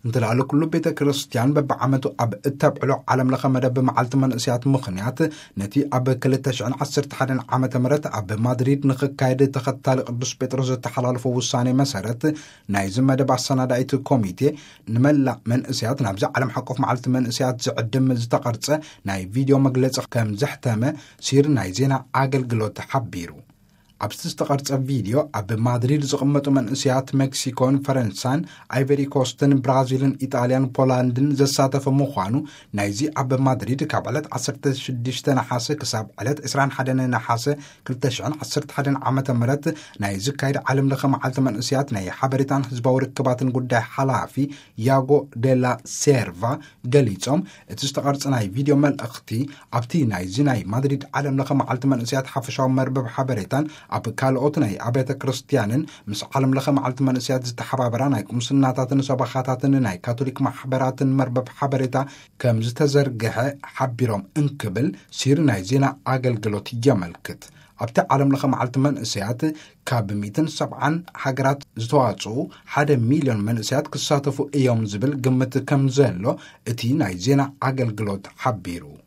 እንተለኣለ ኩሉ ቤተ ክርስቲያን በብዓመቱ ኣብ እተብዕሎ ዓለም ለኸ መደብ መዓልቲ መንእስያት ምኽንያት፣ ነቲ ኣብ ክልተ ሽሕን ዓሰርተ ሓደን ዓመተ ምህረት ኣብ ማድሪድ ንኽካየድ ተኸታሊ ቅዱስ ጴጥሮስ ዝተሓላለፎ ውሳኔ መሰረት፣ ናይዚ መደብ ኣሰናዳኢት ኮሚቴ ንመላእ መንእስያት ናብዚ ዓለም ሓቆፍ መዓልቲ መንእስያት ዝዕድም ዝተቐርጸ ናይ ቪድዮ መግለጺ ከም ዘሕተመ ሲር ናይ ዜና ኣገልግሎት ሓቢሩ። ኣብቲ ዝተቐርጸ ቪድዮ፣ ኣብ ማድሪድ ዝቕመጡ መንእስያት ሜክሲኮን ፈረንሳን፣ ኣይቨሪ ኮስትን ብራዚልን ኢጣልያን ፖላንድን ዘሳተፈ ምዃኑ፣ ናይዚ ኣብ ማድሪድ ካብ ዕለት ዓሰርተ ሽዱሽተ ነሓሰ ክሳብ ዕለት ዕስራን ሓደን ነሓሰ ክልተ ሽሕን ዓሰርተ ሓደን ዓመተ ምህረት ናይ ዝካየድ ዓለም ለኸ መዓልቲ መንእስያት ናይ ሓበሬታን ህዝባዊ ርክባትን ጉዳይ ሓላፊ ያጎ ደላ ሴርቫ ገሊጾም፣ እቲ ዝተቐርጸ ናይ ቪድዮ መልእኽቲ ኣብቲ ናይዚ ናይ ማድሪድ ዓለም ለኸ መዓልቲ መንእስያት ሓፈሻዊ መርበብ ሓበሬታን ኣብ ካልኦት ናይ ኣብያተ ክርስቲያንን ምስ ዓለም ለኸ መዓልቲ መንእስያት ዝተሓባበራ ናይ ቁምስናታትን ሰበኻታትን ናይ ካቶሊክ ማሕበራትን መርበብ ሓበሬታ ከም ዝተዘርግሐ ሓቢሮም እንክብል ሲር ናይ ዜና ኣገልግሎት የመልክት። ኣብቲ ዓለም ለኸ መዓልቲ መንእስያት ካብ ሚእትን ሰብዓን ሃገራት ዝተዋጽኡ ሓደ ሚልዮን መንእስያት ክሳተፉ እዮም ዝብል ግምት ከም ዘሎ እቲ ናይ ዜና ኣገልግሎት ሓቢሩ።